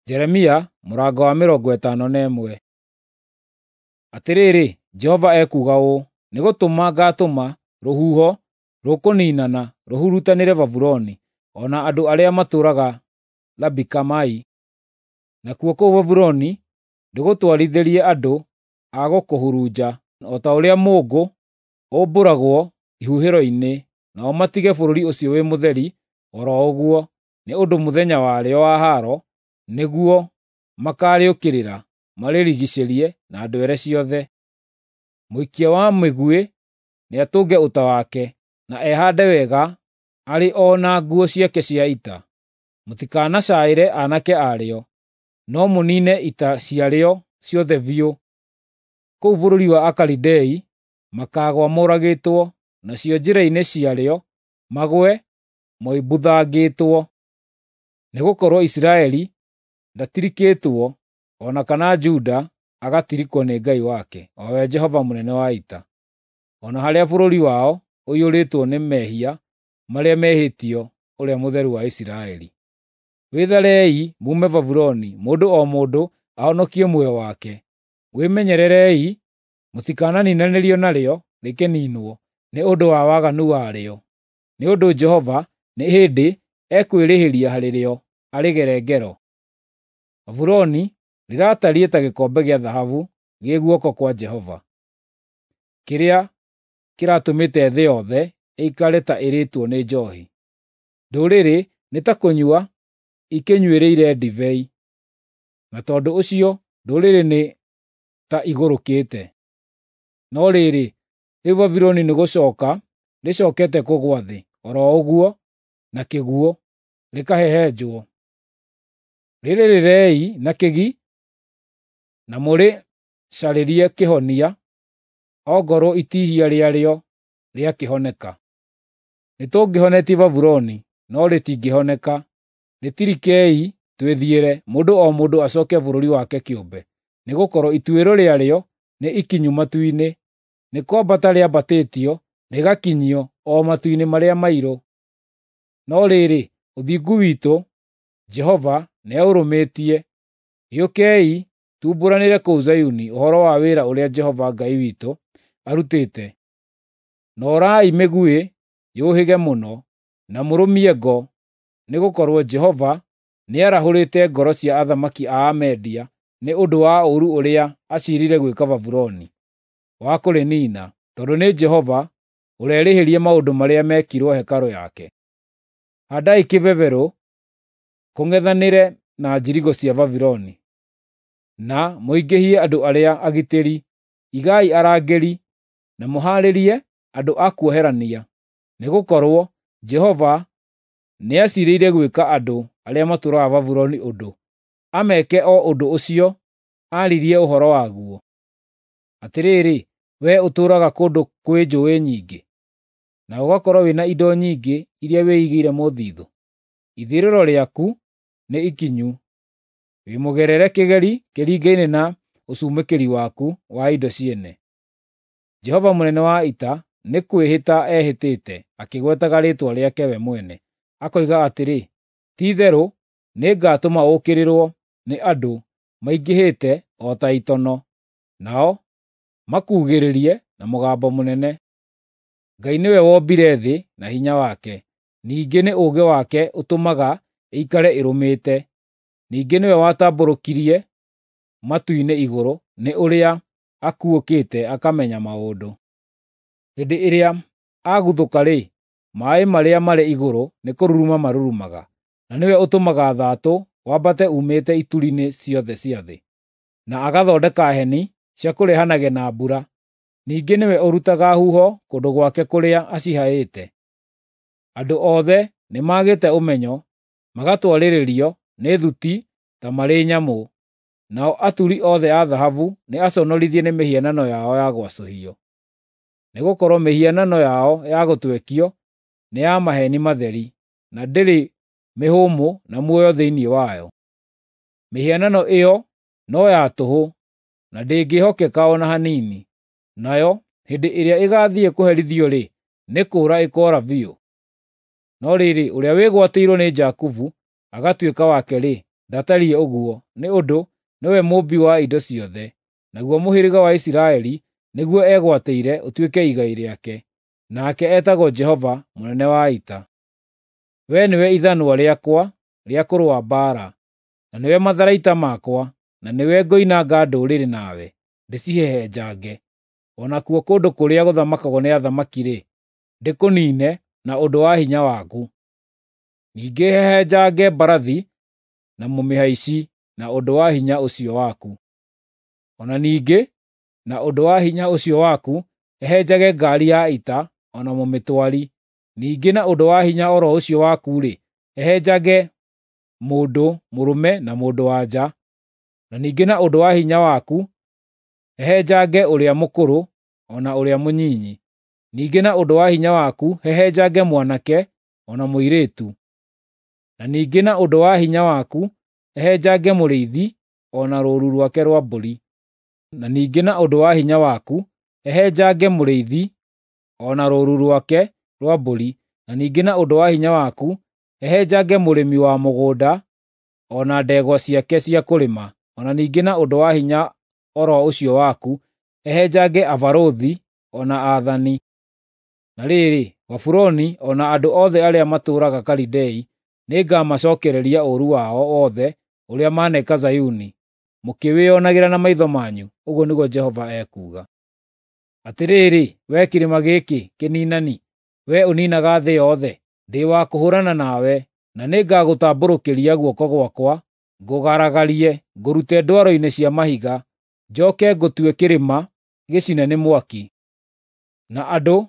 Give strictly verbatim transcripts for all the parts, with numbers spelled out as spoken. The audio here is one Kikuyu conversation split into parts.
Jeremia mũrango wa mĩrongo ĩtano na ĩmwe. Atĩrĩrĩ, Jehova ekuuga ũũ: Nĩgũtũma ngaatũma rũhuho rũkũniinana rũhurutanĩre Babuloni, o na andũ arĩa matũũraga Labi-Kamai. Nakuo kũu Babuloni ndĩgũtwarithĩrie andũ a gũkũhurunja o ta ũrĩa mũũngũ ũmbũragwo ihuhĩro-inĩ, nao matige bũrũri ũcio wĩ mũtheri o ro ũguo, nĩ ũndũ mũthenya warĩo wa haaro nĩguo makaarĩũkĩrĩra marĩrigiicĩrie na ndwere ciothe. Mũikia wa mĩguĩ nĩatũnge ũta wake, na ehaande wega arĩ o na nguo ciake cia ita. Mũtikanacaĩre aanake arĩo, no mũniine ita ciarĩo ciothe biũ. Kũu bũrũri wa Akalidei makaagũa moragĩtwo, nacio njĩra-inĩ ciarĩo magũe moimbuthangĩtwo. Nĩgũkorwo Isiraeli ndatirikĩtwo, o na kana Juda agatirikwo nĩ Ngai wake, o we Jehova mũnene wa ita, o na harĩa bũrũri wao ũiyũrĩtwo nĩ mehia marĩa mehĩtio Ũrĩa Mũtheru wa Isiraeli. Wĩtharei muume Babuloni, mũndũ o mũndũ ahonokie muoyo wake! Wĩmenyererei mũtikananiinanĩrio narĩo rĩkĩniinwo nĩ ũndũ wa waganu warĩo, nĩ ũndũ Jehova nĩ hĩndĩ ekwĩrĩhĩria harĩ rĩo arĩgere ngero. Babuloni rĩratariĩ ta gĩkombe gĩa thahabu gĩ guoko kwa Jehova, kĩrĩa kĩratũmĩte thĩ yothe ĩikare ta ĩrĩĩtwo nĩ njoohi. Ndũrĩrĩ nĩ ta kũnyua ikĩnyuĩrĩire ndibei, na tondũ ũcio ndũrĩrĩ nĩ ta igũrũkĩte. No rĩrĩ, rĩu Babuloni nĩgũcooka rĩcookete kũgũa thĩ o ro ũguo na kĩguũ, rĩkahehenjwo. Rĩrĩrĩrei na kĩgi na mũrĩcarĩrie kĩhonia, ongorwo itihia rĩarĩo rĩakĩhoneka. Nĩtũngĩhonetie Babuloni, no rĩtingĩhoneka. Rĩtirikei twĩthiĩre, mũndũ o mũndũ acooke bũrũri wake kĩũmbe, nĩgũkorwo ituĩro rĩarĩo nĩ ikinyu matu-inĩ, nĩ kwambata rĩambatĩtio rĩgakinyio o matu-inĩ marĩa mairũ. No rĩrĩ, ũthingu witũ Jehova nĩaũrũmĩtie. Gĩũkei, tuumbũranĩre kũu Zayuni ũhoro wa wĩra ũrĩa Jehova Ngai witũ arutĩte. Noorai mĩguĩ yũhĩge mũno, na mũrũmie ngo, nĩgũkorwo Jehova nĩarahũrĩte ngoro cia athamaki a Amedia nĩ ũndũ wa ũũru ũrĩa aciirĩire gwĩka Babuloni, wa kũrĩniina, tondũ nĩ Jehova ũrerĩhĩria maũndũ marĩa mekirwo hekarũ yake. Haandai kĩbebero kũng'ethanĩre na njirigo cia Babuloni, na mũingĩhie andũ arĩa agitĩri. Igai arangĩri na mũhaarĩrie andũ a kuoherania, nĩgũkorwo Jehova nĩaciirĩire gwĩka andũ arĩa matũũraga Babuloni ũndũ, ameke o ũndũ ũcio aaririe ũhoro waguo. Atĩrĩrĩ, wee ũtũũraga kũndũ kwĩ njũũĩ nyingĩ, na ũgakorwo wĩ na indo nyingĩ iria wĩigĩire mũthithũ, ithirĩro rĩaku nĩ ikinyu, wĩ mũgerere kĩgeri kĩringaine na ũcumĩkĩri waku wa indo ciene. Jehova mũnene wa ita nĩ kwĩhĩta ehĩtĩte akĩgwetaga rĩĩtwa rĩake we mwene, akoiga atĩrĩ, “Ti-itherũ nĩngatũma ũũkĩrĩrwo nĩ andũ maingĩhĩte o ta itono, nao makuugĩrĩrie na mũgambo mũnene.” Ngai nĩwe wombire thĩ na hinya wake, ningĩ nĩ ũũgĩ wake ũtũmaga ĩikare ĩrũmĩte. Ningĩ nĩwe watambũrũkirie matu-inĩ igũrũ nĩ ũrĩa akuũkĩte akamenya maũndũ. Hĩndĩ ĩrĩa aguthũka-rĩ, maaĩ marĩa marĩ igũrũ nĩkũruruma marurumaga, na nĩwe ũtũmaga thaatũ wambate uumĩte ituri-inĩ ciothe cia thĩ, na agathondeka heni cia kũrehanage na mbura. Ningĩ nĩwe ũrutaga huho kũndũ gwake kũrĩa acihaĩte. Andũ othe nĩmagĩte ũmenyo, magatwarĩrĩrio nĩ thuti ta marĩ nyamũ, nao aturi othe a thahabu nĩ aconorithie nĩ mĩhianano yao ya gwacũhio. Nĩgũkorwo mĩhianano yao ya gũtwekio nĩ ya maheeni matheri, na ndĩrĩ mĩhũmũ na muoyo thĩinĩ wayo. Mĩhianano ĩyo no ya tũhũ, na ndĩngĩhokeka o na hanini, nayo hĩndĩ ĩrĩa ĩgaathiĩ kũherithio-rĩ, nĩ kũũra ĩkoora biũ. No rĩrĩ, ũrĩa wĩgwatĩirwo nĩ Jakubu agatuĩka wake-rĩ, Ndatariĩ ũguo, nĩ ũndũ nĩwe Mũũmbi wa indo ciothe, naguo mũhĩrĩga wa Isiraeli nĩguo egwatĩire ũtuĩke igai rĩake, nake etagwo Jehova mũnene wa ita. Wee nĩwe ithanwa rĩakwa rĩa kũrũa mbaara, na nĩwe matharaita makwa, na nĩwe ngoinanga ndũrĩrĩ nawe, ndĩcihehenjange. O nakuo kũndũ kũrĩa gũthamakagwo nĩ athamaki-rĩ, ndĩkũniine na ũndũ wa hinya waku. Ningĩ hehenjange mbarathi na mũmĩhaici na ũndũ wa hinya ũcio waku. O na ningĩ na ũndũ wa hinya ũcio waku hehenjage ngaari ya ita o na mũmĩtwari. Ningĩ na ũndũ wa hinya o ro ũcio waku-rĩ, hehenjage mũndũ mũrũme na mũndũ-wa-nja. Na ningĩ na ũndũ wa hinya waku hehenjange ũrĩa mũkũrũ o na ũrĩa mũnyinyi. Ningĩ na ũndũ wa hinya waku hehenjange mwanake o na mũirĩtu. Na ningĩ na ũndũ wa hinya waku hehenjange mũrĩithi o na rũũru rwake rwa mbũri. Na ningĩ na ũndũ wa hinya waku hehenjange mũrĩithi o na rũũru rwake rwa mbũri. Na ningĩ na ũndũ wa hinya waku hehenjange mũrĩmi wa mũgũnda o na ndegwa ciake cia kũrĩma. O na ningĩ na ũndũ wa hinya o ro ũcio waku hehenjange abarũthi o na aathani. Na rĩrĩ, Babuloni o na andũ othe arĩa matũũraga Kalidei nĩngamacookereria ũũru wao wothe ũrĩa maneeka Zayuni, mũkĩwĩonagĩra na maitho manyu, ũguo nĩguo Jehova ekuuga. Atĩrĩrĩ, wee kĩrĩma gĩkĩ kĩniinani, wee ũniinaga thĩ yothe, ndĩ wa kũhũũrana nawe, na nĩngagũtambũrũkĩria guoko gwakwa ngũgaragarie ngũrute ndwaro-inĩ cia mahiga, njooke ngũtue kĩrĩma gĩcine nĩ mwaki. Na andũ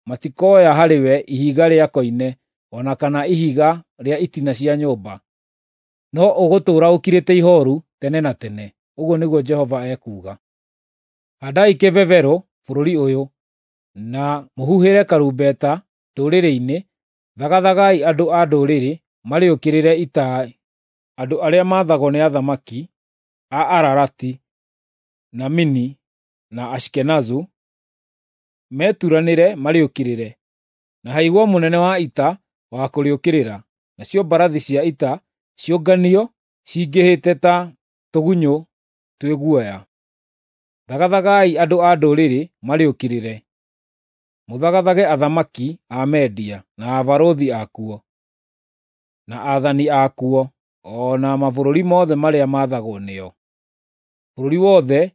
matikoya harĩwe ihiga rĩa koine o na kana ihiga rĩa itina cia nyũmba, no ũgũtũũra ũkirĩte ihooru tene na tene, ũguo nĩguo Jehova ekuuga. Haandai kĩbebero bũrũri ũyũ, na mũhuhĩre karumbeta ndũrĩrĩ-inĩ, thagathagai andũ a ndũrĩrĩ marĩũkĩrĩre ita, andũ arĩa maathagwo nĩ athamaki a Ararati, na Mini na Ashikenazu, meturanĩre marĩũkĩrĩre. Na haigwo mũnene wa ita wa kũrĩũkĩrĩra, nacio mbarathi cia ita ciũnganio cingĩhĩte ta tũgunyũ twĩ guoya. Thagathagai andũ a ndũrĩrĩ marĩũkĩrĩre, mũthagathage athamaki a Media na abarũthi akuo, na aathani akuo, o na mabũrũri mothe marĩa maathagwo nĩo. Bũrũri wothe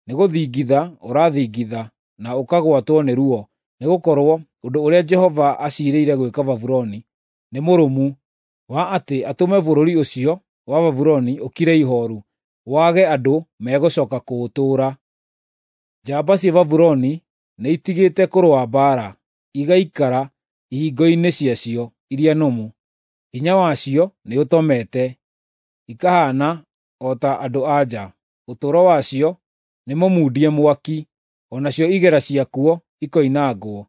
nĩgũthingitha ũrathingitha na ũkagwatwo nĩ ruo, nĩgũkorwo ũndũ ũrĩa Jehova aciirĩire gwĩka Babuloni nĩ mũrũmu, wa atĩ atũme bũrũri ũcio wa Babuloni ũkire ihooru, wage andũ megũcooka kũũtũũra. Njamba cia Babuloni nĩitigĩte kũrũa mbaara, igaikara ihingo-inĩ ciacio iria nũmu. Hinya wacio nĩũtomete, ikahaana o ta andũ-a-nja. Ũtũũro wacio nĩmũmundie mwaki, o nacio igera ciakuo ikoinangwo.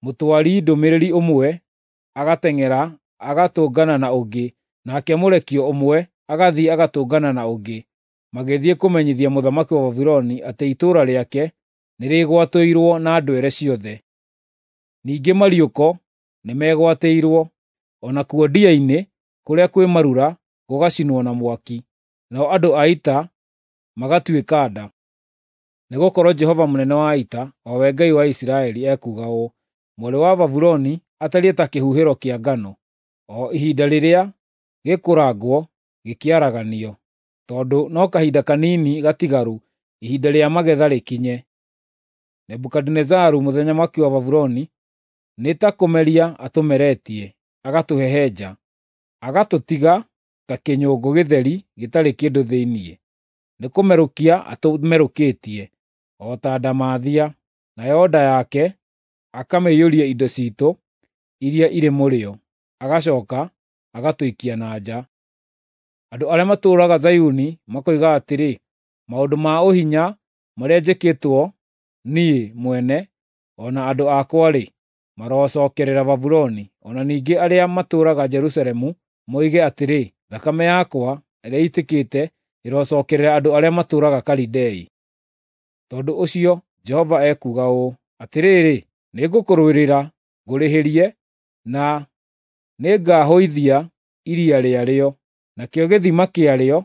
Mũtwari ndũmĩrĩri ũmwe agateng'era agatũngana na ũngĩ, nake mũrekio ũmwe agathiĩ agatũngana na ũngĩ, magĩthiĩ kũmenyithia mũthamaki wa Babuloni atĩ itũũra rĩake nĩrĩgwatĩirwo na ndwere ciothe. Ningĩ mariũko nĩmegwatĩirwo, o nakuo ndia-inĩ kũrĩa kwĩ marura gũgacinwo na mwaki, nao andũ a ita magatuĩka nda. Nĩgũkorwo Jehova mũnene wa ita, o we Ngai wa Isiraeli, ekuuga ũũ: Mwarĩ wa Babuloni atariĩ ta kĩhuhĩro kĩa ngano, o ihinda rĩrĩa gĩkũrangwo gĩkĩaraganio, tondũ no kahinda kanini gatigaru ihinda rĩa magetha rĩkinye. Nebukadinezaru mũthamaki wa Babuloni nĩ ta kũmeria atũmeretie, agatũhehenja, agatũtiga ta kĩnyũngũ gĩtheri gĩtarĩ kĩndũ thĩinĩ. Nĩkũmerũkia atũmerũkĩtie, o ta ndamathia, nayo nda yake akamĩiyũria indo ciitũ iria irĩ mũrĩo, agacooka agatũikia na nja. Andũ arĩa matũũraga Zayuni makoiga atĩrĩ, “Maũndũ ma ũhinya marĩa njĩkĩtwo niĩ mwene o na andũ akwa-rĩ, marocookerera Babuloni.” O na ningĩ arĩa matũũraga Jerusalemu moige atĩrĩ, “Thakame yakwa ĩrĩa ĩitĩkĩte ĩrocookerera andũ arĩa matũũraga Kalidei.” Tondũ ũcio Jehova ekuuga ũũ: Atĩrĩrĩ, nĩngũkũrũĩrĩra ngũrĩhĩrie, na nĩngahũithia iria rĩarĩo. nakĩo gĩthima kĩarĩo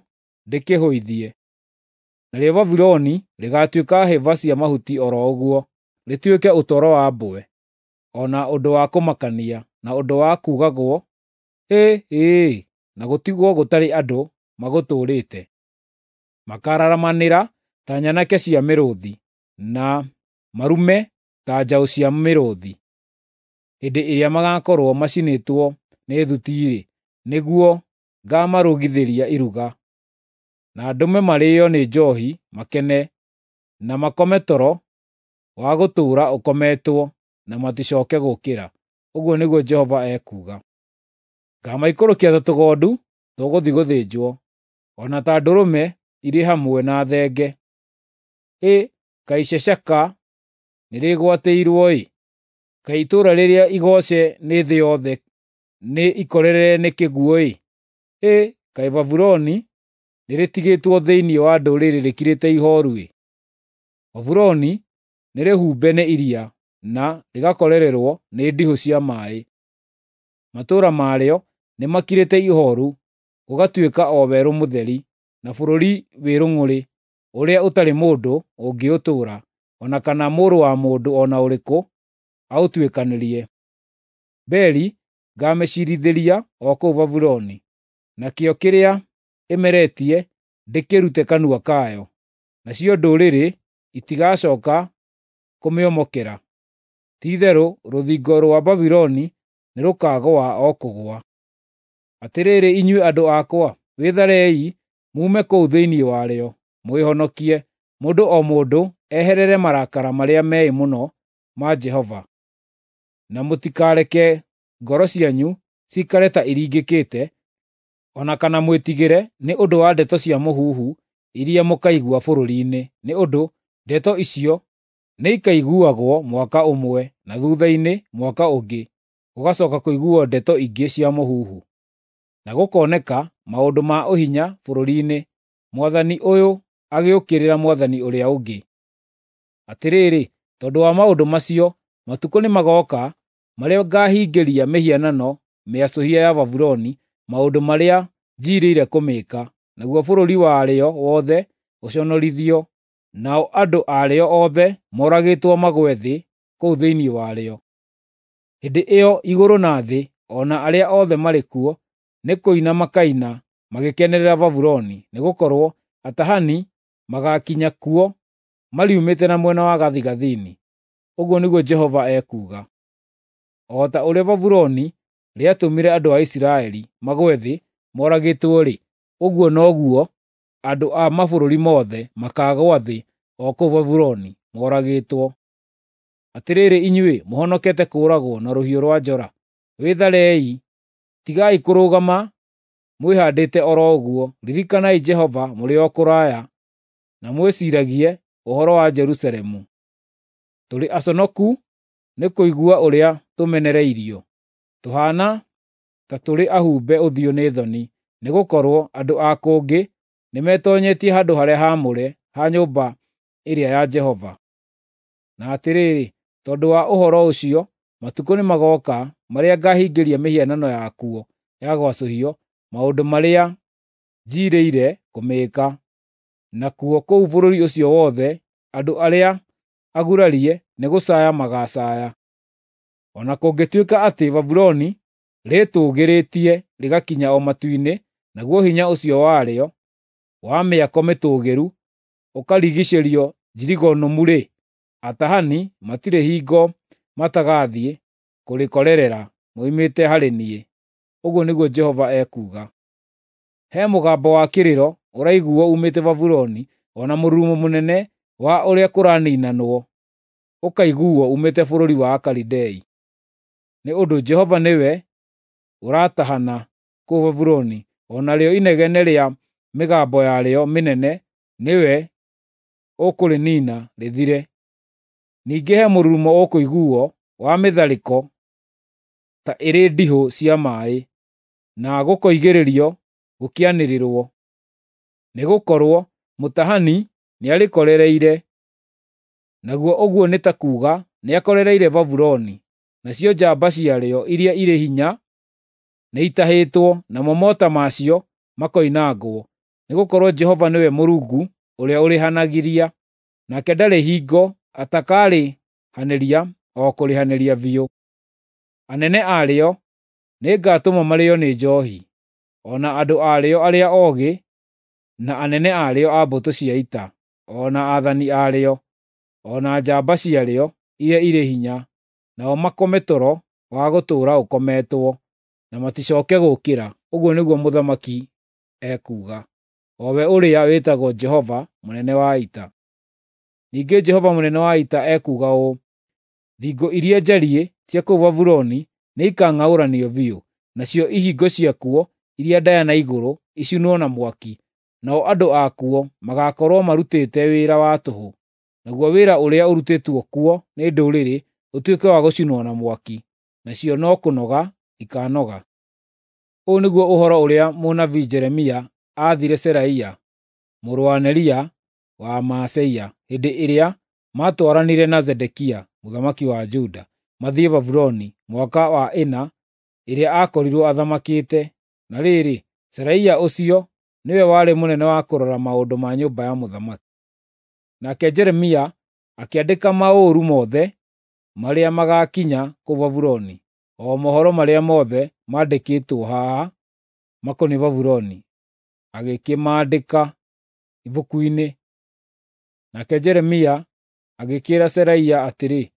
ndĩkĩhũithie. Narĩo Babuloni rĩgaatuĩka hĩba cia mahuti o ro ũguo, rĩtuĩke ũtoro wa mbwe, o na ũndũ wa kũmakania, na ũndũ wa kuugagwo, Ĩ ĩ, na gũtigwo gũtarĩ andũ magũtũũrĩte. Makaararamanĩra ta nyanake cia mĩrũũthi, na marume ta njaũ cia mĩrũũthi. Hĩndĩ ĩrĩa magaakorwo macinĩtwo nĩ thuti-rĩ, nĩguo ngaamarugithĩria iruga, na ndũme marĩĩo nĩ njoohi makene, na makome toro wa gũtũũra ũkometwo na maticooke gũũkĩra," ũguo nĩguo Jehova ekuuga. "Ngaamaikũrũkia ta tũgondu tũgũthiĩ gũthĩnjwo, o na ta ndũrũme irĩ hamwe na thenge. Ĩ kaĩ Sheshaka nĩrĩgwatĩirwo-ĩ! Kaĩ itũũra rĩrĩa igooce nĩ thĩ yothe nĩ ikorerere nĩ kĩguũ-ĩ! Ĩ kaĩ Babuloni nĩrĩtigĩtwo thĩinĩ wa ndũrĩrĩ rĩkirĩte ihooru-ĩ! Babuloni nĩrĩhumbe nĩ iria na rĩgakorererwo nĩ ndihũ cia maaĩ. Matũũra marĩo nĩmakirĩte ihooru, gũgatuĩka o werũ mũtheri, na bũrũri wĩ rũng'ũrĩ, ũrĩa ũtarĩ mũndũ ũngĩũtũũra, o na kana mũrũ wa mũndũ o na ũrĩkũ aũtuĩkanĩrie. Beli ngaamĩciirithĩria o kũu Babuloni, nakĩo kĩrĩa ĩmeretie ndĩkĩrute kanua kayo, nacio ndũrĩrĩ itigacooka kũmĩomokera. Ti-itherũ rũthingo rwa Babuloni nĩrũkagũa o kũgũa. Atĩrĩrĩ inyuĩ andũ akwa, wĩtharei muume kũu thĩinĩ warĩo, mwĩhonokie, mũndũ o mũndũ eherere marakara marĩa meĩ mũno ma Jehova, na mũtikareke ngoro cianyu ciikare ta iringĩkĩte, o na kana mwĩtigĩre nĩ ũndũ wa ndeto cia mũhuhu iria mũkaigua bũrũri-inĩ, nĩ ũndũ ndeto icio nĩikaiguagwo mwaka ũmwe, na thuutha-inĩ mwaka ũngĩ gũgacooka kũiguuo ndeto ingĩ cia mũhuhu. Na gũkoneka maũndũ ma ũhinya bũrũri-inĩ, mwathani ũyũ agĩũkĩrĩra mwathani ũrĩa ũngĩ. Atĩrĩrĩ, tondũ wa maũndũ macio, matukũ nĩmagooka marĩa ngaahingĩria mĩhianano mĩacũhie ya Babuloni maũndũ marĩa njiirĩire kũmĩĩka, naguo bũrũri warĩo wothe ũconorithio, nao andũ arĩo othe moragĩtwo magũe thĩ kũu thĩinĩ warĩo. Hĩndĩ ĩyo igũrũ na thĩ, o na arĩa othe marĩ kuo, nĩ kũina makaina magĩkenerera Babuloni, nĩgũkorwo atahani magaakinya kuo mariumĩte na mwena wa gathigathini," ũguo nĩguo Jehova ekuuga. O ta ũrĩa Babuloni rĩatũmire andũ a Isiraeli magũe thĩ moragĩtwo-rĩ, ũguo noguo andũ a mabũrũri mothe makaagũa thĩ o kũu Babuloni moragĩtwo. Atĩrĩrĩ inyuĩ mũhonokete kũũragwo na rũhiũ rwa njora, wĩtharei, tigai kũrũgama mwĩhaandĩte o ro ũguo. Ririkanai Jehova mũrĩ o kũraya, na mwĩciiragie ũhoro wa Jerusalemu. Tũrĩ aconoku nĩ kũigua ũrĩa tũmenereirio, tũhaana ta tũrĩ ahumbe ũthiũ nĩ thoni, nĩgũkorwo andũ a kũngĩ nĩmetoonyetie handũ-harĩa-haamũre ha nyũmba ĩrĩa ya Jehova. Na atĩrĩrĩ, tondũ wa ũhoro ũcio, matukũ nĩmagooka marĩa ngaahingĩria mĩhianano yakuo ya gwacũhio maũndũ marĩa njiirĩire kũmĩĩka. Nakuo kũu bũrũri ũcio wothe andũ arĩa agurarie nĩgũcaaya magacaaya. O na kũngĩtuĩka atĩ Babuloni rĩĩtũũgĩrĩtie rĩgakinya o matu-inĩ, naguo hinya ũcio warĩo wa mĩako mĩtũũgĩru ũkarigiicĩrio njirigo nũmu-rĩ, atahani matirĩ hingo matagathiĩ kũrĩkorerera moimĩte harĩ niĩ," ũguo nĩguo Jehova ekuuga. He mũgambo wa kĩrĩro ũraiguuo uumĩte Babuloni, o na mũrurumo mũnene wa ũrĩa kũraniinanwo ũkaiguuo uumĩte bũrũri wa Akalidei. Nĩ ũndũ Jehova nĩwe ũratahana kũu Babuloni, o narĩo inegene rĩa mĩgambo yarĩo mĩnene nĩwe ũkũrĩniina rĩthire. Ningĩ he mũrurumo ũkũiguuo wa mĩtharĩko ta ĩrĩ ndihũ cia maaĩ, na gũkoigĩrĩrio gũkĩanĩrĩrwo, nĩgũkorwo mũtahani nĩarĩkorereire, naguo ũguo nĩ ta kuuga nĩakorereire Babuloni, nacio njamba ciarĩo iria irĩ hinya nĩitahĩtwo, namo mota macio makoinangwo, nĩgũkorwo Jehova nĩwe Mũrungu ũrĩa ũrĩhanagĩria, nake ndarĩ hingo atakarĩhanĩria o kũrĩhanĩria biũ. Anene arĩo nĩngatũma marĩĩo nĩ njoohi, o na andũ arĩo arĩa oogĩ, na anene arĩo a mbũtũ cia ita, o na aathani arĩo, o na njamba ciarĩo iria irĩ hinya, nao makome toro wa gũtũũra ũkometwo, na maticooke gũũkĩra, ũguo nĩguo Mũthamaki ekuuga, o we ũrĩa wĩtagwo Jehova mũnene wa ita. Ningĩ Jehova mũnene wa ita ekuuga ũũ: Thingo iria njariĩ cia kũu Babuloni nĩikang'aũranio biũ, nacio ihingo ciakuo iria ndaaya na igũrũ icinwo na mwaki, nao andũ akuo magaakorwo marutĩte wĩra wa tũhũ, naguo wĩra ũrĩa ũrutĩtwo kuo nĩ ndũrĩrĩ ũtuĩke wa gũcinwo na mwaki, nacio no kũnoga ikaanoga. Ũyũ nĩguo ũhoro ũrĩa mũnabii Jeremia aathire Seraia mũrũ wa Neria wa Maaseia hĩndĩ ĩrĩa maatwaranire na Zedekia mũthamaki wa Juda mathiĩ Babuloni mwaka wa ĩna ĩrĩa aakorirwo athamakĩte. Na rĩrĩ, Seraia ũcio nĩwe warĩ mũnene wa kũrora maũndũ ma nyũmba ya mũthamaki. Nake Jeremia akĩandĩka maũru mothe marĩa magaakinya kũu Babuloni, o mohoro marĩa mothe maandĩkĩtwo haha makoniĩ Babuloni, agĩkĩmaandĩka ibuku-inĩ. Nake Jeremia agĩkĩĩra Seraia atĩrĩ,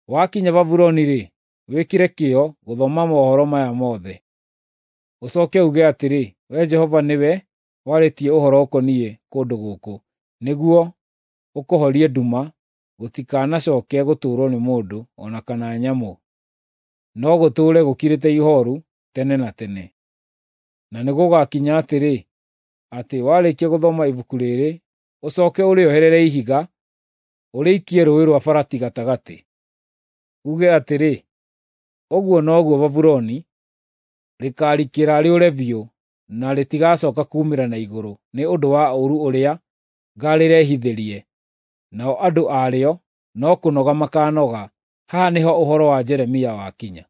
“Wakinya Babuloni-rĩ, wĩkĩre kĩyo gũthoma mohoro maya mothe. Ũcooke uuge atĩrĩ, ‘Wee Jehova nĩwe warĩtie ũhoro ũkoniĩ kũndũ gũkũ, nĩguo ũkũhorie nduma gũtikanacooke gũtũũrwo nĩ mũndũ o na kana nyamũ, no gũtũũre gũkirĩte ihooru tene na tene.’ Na nĩgũgakinya atĩrĩ, atĩ warĩkia gũthoma ibuku rĩrĩ, ũcooke ũrĩoherere ihiga, ũrĩikie Rũũĩ rwa Farati gatagatĩ. Uuge atĩrĩ, ‘Ũguo noguo Babuloni rĩkaarikĩra rĩũre biũ, na rĩtigacooka kuumĩra na igũrũ nĩ ũndũ wa ũũru ũrĩa ngaarĩrehithĩrie, nao andũ arĩo no kũnoga makaanoga.’ Haha nĩho ũhoro wa Jeremia wakinya.